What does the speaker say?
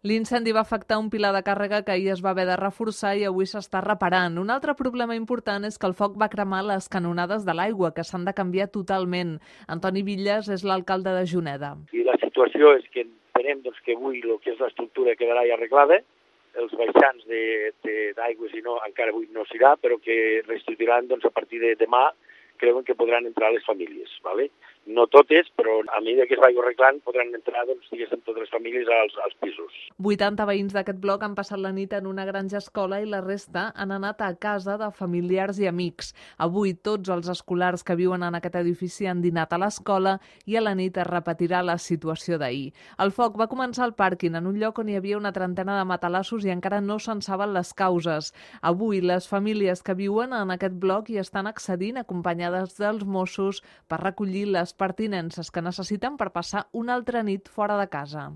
L'incendi va afectar un pilar de càrrega que ahir es va haver de reforçar i avui s'està reparant. Un altre problema important és que el foc va cremar les canonades de l'aigua, que s'han de canviar totalment. Antoni Villas és l'alcalde de Juneda. I la situació és que entenem que avui el que és l'estructura quedarà ja arreglada, els baixants d'aigües i no, encara avui no s'irà, però que restituiran a partir de demà, creuen que podran entrar les famílies, ¿vale? No totes, però a mesura que es vagi arreglant podran entrar, diguéssim, totes les famílies als pisos. 80 veïns d'aquest bloc han passat la nit en una granja escola i la resta han anat a casa de familiars i amics. Avui tots els escolars que viuen en aquest edifici han dinat a l'escola i a la nit es repetirà la situació d'ahir. El foc va començar al pàrquing, en un lloc on hi havia una trentena de matalassos i encara no se'n saben les causes. Avui les famílies que viuen en aquest bloc hi estan accedint acompanyades dels Mossos per recollir les pertinences que necessiten per passar una altra nit fora de casa.